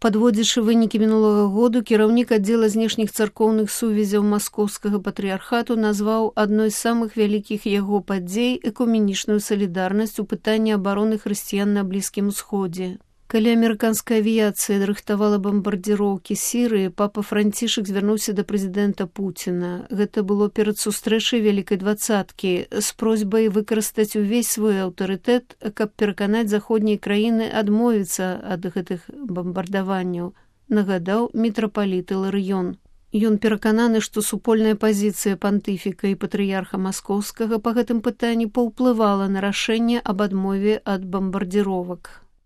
Падводзячы вынікі мінулага году, кіраўнік аддзела знешніх царкоўных сувязяў маскоўскага патрыярхату назваў адной з самых вялікіх яго падзей экуменічную салідарнасць у пытанні абароны хрысціян на Блізкім Усходзе. Калі амерыканская авіяцыя рыхтавала бамбардзіроўкі Сірыі, папа Францішак звярнуўся да прэзідэнта Пуціна. Гэта было перад сустрэчай Вялікай дваццаткі з просьбай выкарыстаць увесь свой аўтарытэт, каб пераканаць заходнія краіны адмовіцца ад гэтых бамбардаванняў, нагадаў мітрапаліт Іларыён. Ён перакананы, што супольная пазіцыя пантыфіка і патрыярха маскоўскага па гэтым пытанні паўплывала на рашэнне аб адмове ад бамбардзіровак.